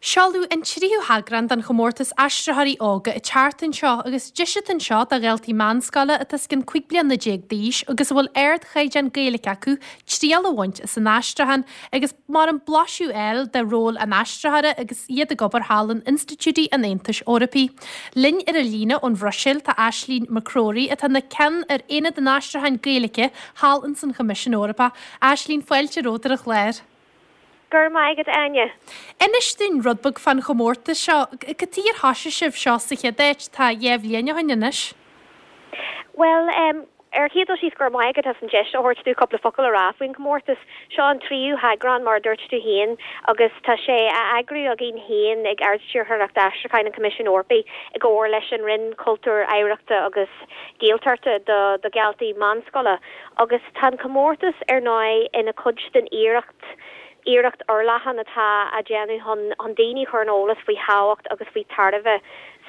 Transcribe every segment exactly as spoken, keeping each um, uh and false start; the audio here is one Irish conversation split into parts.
Seoladh an tríú heagrán den chomórtas Aistritheoirí Óga an tseachtain seo agus deis atá anseo do dhaltaí meánscoile atá os cionn cúig bliana déag d'aois agus a bhfuil ardchaighdeán Gaeilge acu triail a bhaint as an aistriúchán agus mar an blaiseadh a fháil de ról an aistritheora agus iad ag obair thall in institiúidí an Aontais Eorpaigh. Linn ar an líne ón Bhruiséil tá Aislínn McCrory atá ina ceann ar Aonad an Aistriúcháin Gaeilge thall ins an Choimisiún Eorpach. Aislínn fáilte romhat ar an chlár. Go raibh maith agat Áine. Inis dúinn rud beag fán chomórtas seo, cad chuige ar thosaigh sibh seo sa chéad áit tá dhá bhliain ó shin anois? Bhuel, um, ar chéad dul síos go raibh maith agat as an deis a thabhairt dom cúpla focal a rá faoin comórtas seo an tríú heagrán mar a dúirt tú féin agus tá sé á eagrú againn féin ag Ard-Stiúrthóireacht Aistriúcháin an Choimisiúin Eorpaigh i gcomhar leis an Roinn Cultúir Oidhreachta agus Gaeltachta do do dhaltaí meánscoile agus tá an comórtas ar ndóigh ina chuid den iarracht iarracht fhorleathan atá á déanamh chun chun daoine chur ar an eolas faoi thábhacht agus faoi tairbhe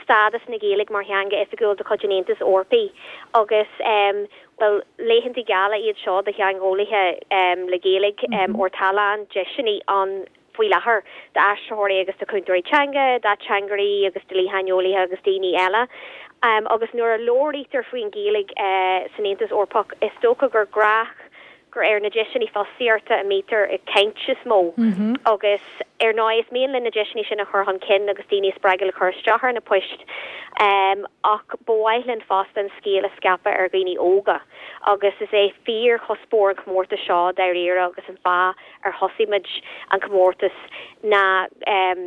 stádas na Gaeilge mar theanga oifigiúil de chuid an Aontais Eorpaigh agus um, well laethanta geala iad seo do theangeolaithe um, le Gaeilge um, mm -hmm. tá a lán deiseanna ann faoi láthair d'aistritheoirí agus do chúntóirí teanga, d'ateangairí agus do dhlítheangeolaithe agus daoine eile. Um, agus nuair a labhraítear faoin Ghaeilge uh, san Aontas Eorpach is dócha gur gnách gur ar na deiseanna fostaíochta a mbítear ag caint is mó mm -hmm. agus ar ndóigh is mian linn na deiseanna sin a chur chun cinn agus daoine spreagadh le cur isteach ar na poist um, ach ba mhaith linn fosta an scéal a scaipeadh ar dhaoine óga agus is é fíorchuspóir an chomórtais seo dáiríre agus an fáth ar thosaigh muid an comórtas ná um,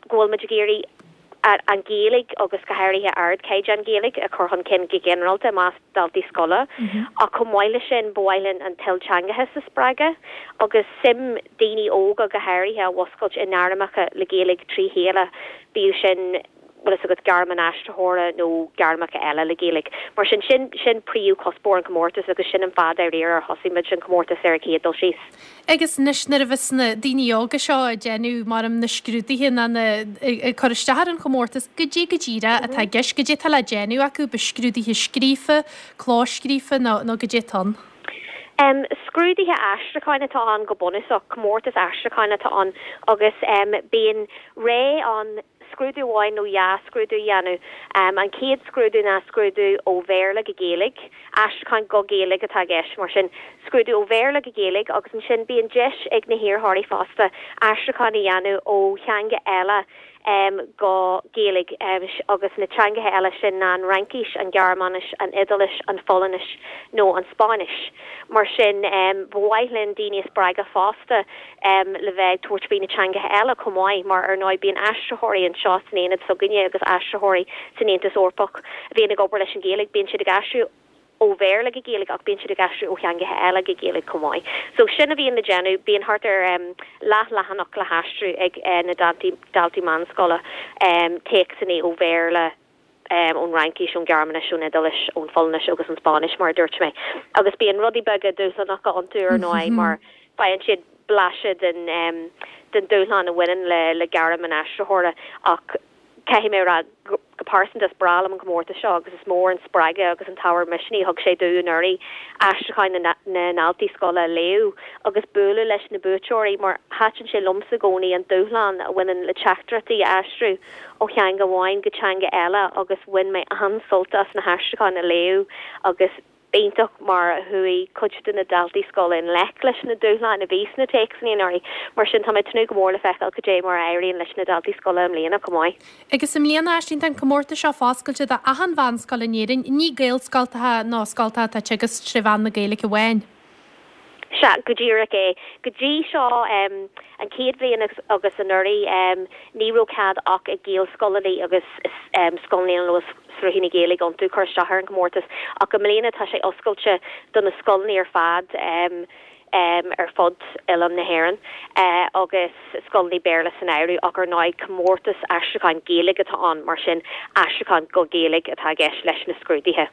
go bhfuil muid ag iarraidh an Ghaeilge agus go háirithe ardchaighdeán Gaeilge a chur chun cinn go ginearálta i measc daltaí scoile mm -hmm. ach chomh maith leis sin ba mhaith linn an t-ilteangachas a spreagadh agus suim daoine óga go háirithe a mhúscailt i ngairmeacha le Gaeilge trí chéile bíodh sin bhfuil a fhios agat gairm an aistritheora nó gairmeacha eile le Gaeilge. Mar sin sin sin príomhchuspóir an chomórtais agus sin an fáth ar thosaigh muid an comórtas ar chéad dul síos. Agus anois nuair a bheas na daoine óga seo ag déanamh mar na scrúduithe ná ag cur isteach ar an chomórtas goidé go díreach atá i gceist goidé atá le déanamh acu ba scrúduithe scríofa, clóscríofa nó nó goidé atá ann. Um, scrúduithe aistriúcháin atá ann go bunúsach comórtas aistriúcháin atá ann agus um, bíonn ré an scrúdú amháin nó dhá scrúdú a dhéanamh. Um, an chéad scrúdú ná scrúdú ó Bhéarla go Gaeilge, aistriúchán go Gaeilge atá i gceist mar sin scrúdú ó Bhéarla go Gaeilge agus ansin bíonn deis ag na hiarrthóirí fosta aistriúchán a dhéanamh ó theanga eile um, go Gaeilge um, agus na teangacha eile sin ná an Fhraincis, an Ghearmáinis, an Iodáilis, an Pholainnis nó an Spáinnis. Mar sin um, ba mhaith linn daoine a spreagadh fosta um, le bheith tabhairt faoi na teangacha eile chomh maith mar ar ndóigh bíonn aistritheoirí anseo san aonad s'againne agus aistritheoirí san Aontas Eorpach a bhíonn ag obair leis an Ghaeilge bíonn siad ag aistriú ó Bhéarla go Gaeilge ach bíonn siad ag aistriú ó theangacha eile go Gaeilge chomh maith. So sin a bhíonn le déanamh bíonn thart ar um, leathleathanach le haistriú ag uh, na daltaí daltaí meánscoile um, téacsanna ó Bhéarla um, ón Fhraincis ón Ghearmáinis ón Iodáilis ón Pholainnis agus an Spáinnis mar dúirt mé. Agus bíonn rudaí beaga dúshlánacha iontu ar ndóigh mar faigheann siad blaiseadh den um, den dúshlán a bhaineann le le gairm an aistritheora ach caithfidh mé rá go pearsanta is breá liom an comórtas seo agus is mór an spreagadh agus an t-ábhar misnigh thug sé domh anuraidh aistriúcháin na ndaltaí scoile a léamh agus bualadh leis na buaiteoirí mar thaitin sé liomsa i gcónaí an dúshlán a bhaineann le teachtaireachtaí a aistriú ó theanga amháin go teanga eile agus bhain mé an-sult as na haistriúcháin a léamh agus b'iontach mar a chuaigh cuid de na daltaí scoile i ngleic leis na dúshláin a bhí sna téacsanna anuraidh mar sin tá mé ag tnúth go mór le feiceáil goidé mar a éiríonn leis na daltaí scoile i mbliana chomh maith. Agus i mbliana Aisling tá an comórtas seo foscailte d'achan mheánscoil in Éirinn, ní Gaelscoltacha nó scoltacha atá ag teagasc trí mheán na Gaeilge amháin. Sea go díreach é go dtí seo um, an chéad bhliain agus anuraidh um, ní raibh cead ach ag Gaelscoileanna agus um, scoileanna a bhfuil sruthaí na Gaeilge iontu cur isteach ar an gcomórtas ach i mbliana tá sé oscailte do na scoileanna ar fad um, um, ar fud oileán na hÉireann uh, agus scoileanna Béarla san áireamh ach ar ndóigh comórtas aistriúcháin Gaeilge atá ann mar sin aistriúchán go Gaeilge atá i gceist leis na scrúduithe.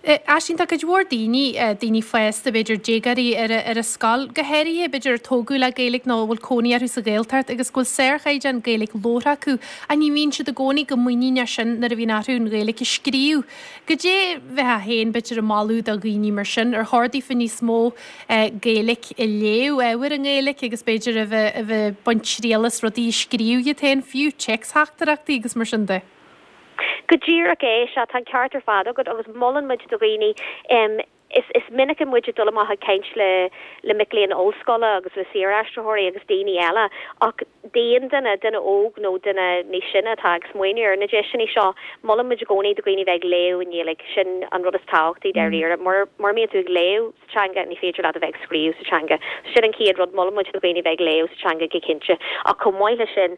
Aisling tá cuid mhór daoine daoine fásta b'fhéidir déagóirí ar ar a scoil, go háirithe b'fhéidir tógadh le Gaeilge nó bhfuil cónaí orthu sa Ghaeltacht agus go bhfuil sárchaighdeán Gaeilge labhartha acu a ní bhíonn siad i gcónaí chomh muiníneach sin nuair a bhíonn orthu an Ghaeilge a scríobh. Goidé bheifeá féin b'fhéidir ag moladh do dhaoine mar sin ar chóir daofa níos mó Gaeilge nGaeilic, ag léamh ábhair i nGaeilic agus b'fhéidir a bheith a bheith ag baint triail as rudaí a scríobh iad féin, fiú téacstheachtaireachtaí agus mar sin de. Go díreach é, sea, tá an ceart ar fad agat agus molann muid do dhaoine, is is minic muid ag dul amach ag caint le le mic léinn ollscoile agus le saoraistritheoirí agus daoine eile ach d'aon duine, duine óg nó duine níos sine atá ag smaoineamh ar na deiseanna seo, molann muid i gcónaí do dhaoine bheith ag léamh i nGaeilge, sin an rud is tábhachtaí dáiríre. Mura mura mbíonn tú ag léamh sa teanga ní féidir leat a bheith ag scríobh sa teanga. Sin an chéad rud, molann muid do dhaoine bheith ag léamh sa teanga go cinnte ach chomh maith leis sin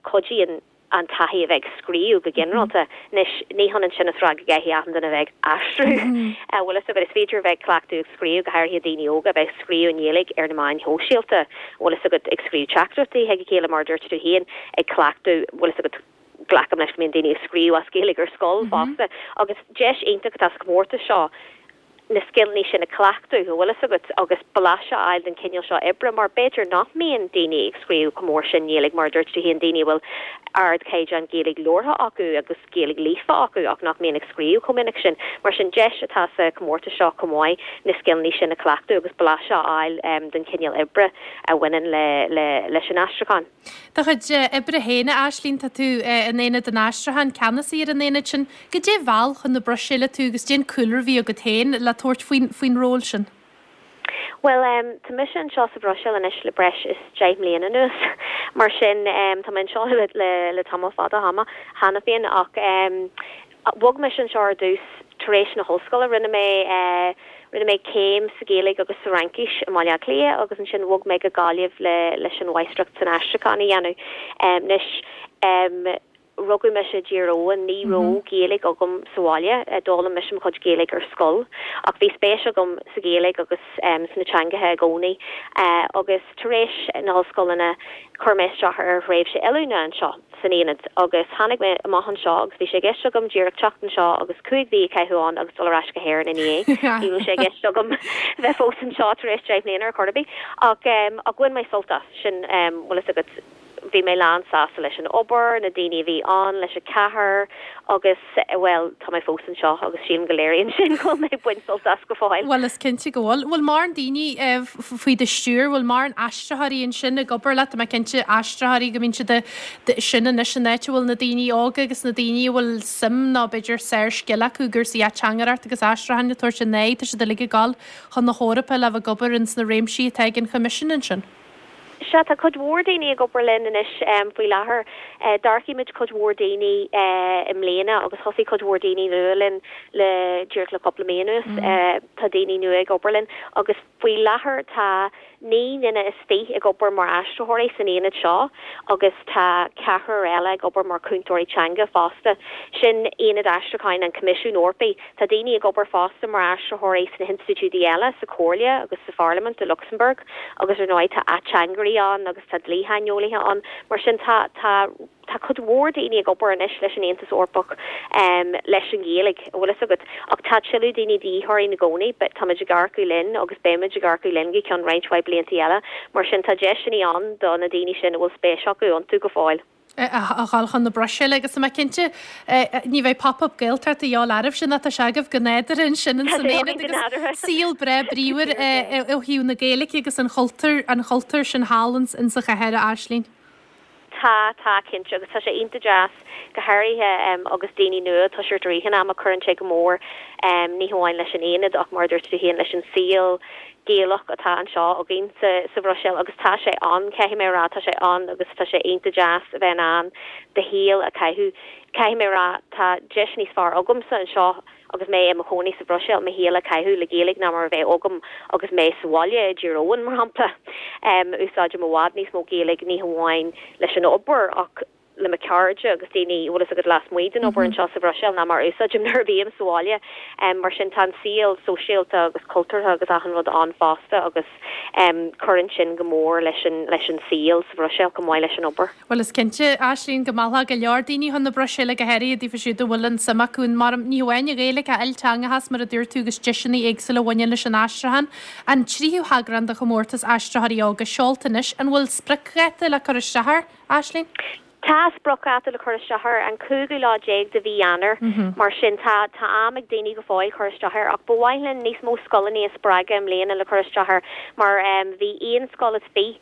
cuidíonn an taithí a bheith ag scríobh go ginearálta. Anois, ní hionann sin is rá go gcaithfidh achan duine a bheith ag aistriú. Bhfuil fhios agat, is féidir a bheith ag cleachtadh ag scríobh, go háirithe daoine óga, a bheith ag scríobh i nGaeilge ar na meáin shóisialta, bhfuil fhios agat, ag scríobh teachtaireachtaí chuig a chéile, mar a dúirt tú féin, ag cleachtadh, bhfuil fhios agat, glacaim leis go mbíonn daoine ag scríobh as Gaeilge ar scoil fosta. Agus deis iontach atá sa chomórtas seo na scileanna sin a chleachtadh, an bhfuil fhios agat, agus blaiseadh a fháil den chineál seo oibre, mar b'fhéidir nach mbíonn daoine ag scríobh chomh mór sin i nGaeilge, mar a dúirt tú féin, daoine a bhfuil ardchaighdeán Gaeilge labhartha acu agus Gaeilge líofa acu ach nach mbíonn ag scríobh chomh minic sin. Mar sin, deis atá sa chomórtas seo chomh maith na scileanna sin a chleachtadh agus blaiseadh a fháil den chineál oibre a bhaineann le leis an aistriúchán. Do chuid oibre féin, a Aislinn, tá tú in Aonad an Aistriúcháin, ceannasaí ar an aonad sin. Goidé mheall chun na Bruiséile tú agus goidé an cúlra a bhí agat féin le tabhairt faoin faoin ról sin? Bhuel, tá mise anseo sa Bhruiséil anois le breis is deich mbliana anuas, mar sin tá mé anseo le le tamall fada ama cheana féin ach bhog mise anseo ar dtús tar éis na hollscoile. Rinne mé rinne mé céim sa Ghaeilge agus sa Fhraincis i mBaile Átha Cliath agus ansin bhog mé go Gaillimh le leis an mháistreacht san aistriúchán a dhéanamh. Anois rugadh mise i dTír Eoghain, ní raibh Gaeilge agam sa bhaile, d'fhoghlaim mise mo chuid Gaeilge ar scoil ach bhí spéis agam sa Ghaeilge agus sna teangacha i gcónaí agus tar éis na hollscoileanna chuir mé isteach ar thréimhse oiliúna anseo san aonad agus tháinig mé amach anseo agus bhí sé i gceist agam díreach teacht anseo agus cúig mhí a chaitheamh ann agus dul ar ais go hÉirinn ina dhiaidh. Ní raibh sé i gceist agam bheith fós anseo tar éis deich mbliana ar chor ar bith ach ach bhain mé sult as sin bhfuil fhios agat. Bhí mé lán sásta leis an obair, na daoine a bhí ann, leis an chathair agus, bhuel, tá mé fós anseo agus sílim go léiríonn sin go bhfuil mé ag baint sult as go fóill. Bhuel, is cinnte go bhfuil. Bhfuil mórán daoine faoi do stiúir, bhfuil mórán aistritheoirí ansin ag obair leat? Tá mé cinnte aistritheoirí go mbíonn siad sin anois an áit a bhfuil na daoine óga agus na daoine a bhfuil suim nó b'fhéidir sárscil acu i gcúrsaí ateangaireacht agus aistriúcháin ag tabhairt a n-aghaidh, tá siad uilig ag dul chun na hEorpa le bheith ag obair ins na réimsí atá ag an Choimisiún ansin. Sea, tá cuid mhór daoine ag obair linn anois faoi láthair. D'earcaigh muid cuid mhór daoine i mbliana agus thosaigh cuid mhór daoine nua linn le díreach le cúpla mí anuas. Tá daoine nua ag obair linn agus faoi láthair tá naoi nduine is fiche ag obair mar aistritheoirí san aonad seo agus tá ceathrar eile ag obair mar chúntóirí teanga fosta. Sin Aonad Aistriúcháin an Choimisiúin Eorpaigh. Tá daoine ag obair fosta mar aistritheoirí sna hinstitiúidí eile, sa Chomhairle agus sa Pharlaimint i Lucsamburg agus ar ndóigh tá ateangairí ann agus tá dlíshaineolaithe ann. Mar sin tá tá tá cuid mhór daoine ag obair anois leis an Aontas Eorpach leis an Ghaeilge, an bhfuil fhios agat. Ach tá tuilleadh daoine de dhíth orainn i gcónaí, táimid ag earcú linn agus beimid ag earcú linn go ceann roinnt mhaith blianta eile. Mar sin tá deiseanna ann do na daoine sin a bhfuil spéis acu iontu go fóill. a dhul chun na Bruiséile agus tá mé cinnte ní bheidh Pop Up Gaeltacht a dhíobháil oraibhse ná tá sé agaibh go nádúrtha ansin in san aonad agus saol breá bríomhar ó thaobh na Gaeilge agus an chultúir an chultúir sin thall in sa chathair a Aislinn. Tá, tá, cinnte, agus tá sé iontach deas, go háirithe agus daoine nua ag toiseacht i rith an ama, cuireann sé go mór ní hamháin leis an aonad ach mar a dúirt tú féin leis an saol Gaelach atá anseo againn sa sa Bhruiséil agus tá sé ann, caithfidh mé a rá, tá sé ann agus tá sé iontach deas a bheith in ann do shaol a chaitheamh. Caithfidh mé a rá, tá deis níos fearr agamsa anseo agus mé i mo chónaí sa Bhruiséil mo shaol a chaitheamh le Gaeilge ná mar a bheadh agam agus mé sa bhaile i dTír Eoghain, mar shampla. Úsáidim i bhfad níos mó Gaeilge ní hamháin leis an obair ach le mo chairde agus daoine, bhfuil fhios agat, lasmuigh den obair anseo sa Bhruiséil ná mar a úsáidim nuair a bhím sa bhaile. Mar sin tá an saol sóisialta agus cultúrtha agus achan rud ann fosta agus cuireann sin go mór leis an leis an saol sa Bhruiséil chomh maith leis an obair. Bhuel is cinnte, Aislinn, go meallfadh go leor daoine chun na Bruiséile, go háirithe daofa siúd a bhfuil an suim acu in mar ní hamháin an Ghaeilge ach ilteangachas mar a dúirt tú agus deiseanna éagsúla a bhaineann leis an aistriúchán. An tríú heagrán de chomórtas Aistritheoirí Óga seolta anois, an bhfuil spriocdháta le cur isteach air, Aislinn? Tá spriocdháta le cur isteach air an cúigiú lá déag de mhí Eanáir, mar sin tá tá am ag daoine go fóill cur isteach air ach ba mhaith linn níos mó scoileanna a spreagadh i mbliana le cur isteach air mar bhí aon scoil is fiche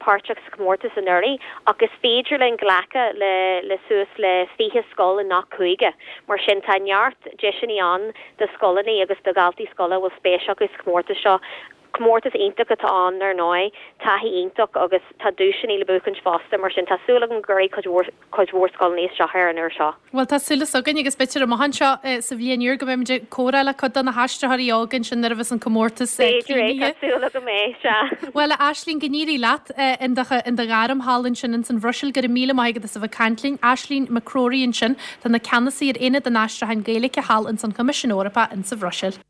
páirteach sa chomórtas anuraidh ach is féidir linn glacadh le le suas le fiche scoil i ngach cúige. Mar sin tá neart deiseanna ann do scoileanna agus do dhaltaí scoile a bhfuil spéis acu sa chomórtas seo. Comórtas iontach atá ann ar ndóigh, taithí iontach agus tá duaiseanna le buachaint fosta, mar sin tá súil agam go gcuirfidh cuid mhór cuid mhór scoileanna isteach air an uair seo. Bhuel tá súil againn agus b'fhéidir amach anseo sa bhliain úr go mbeimid ag comhrá le cuid de na haistritheoirí óga ansin nuair a bheas an comórtas B'fhéidir é, tá súil agam é, sea. Bhuel a Aisling, go n-éirí leat in do in do ghairm thall ansin ins an Bhruiséil, go raibh míle maith agat as a bheith ag caint linn. Aisling McCrory ansin, atá ina ceannasaí ar Aonad an Aistriúcháin Gaeilge thall ins an Choimisiún Eorpach insa Bhruiséil.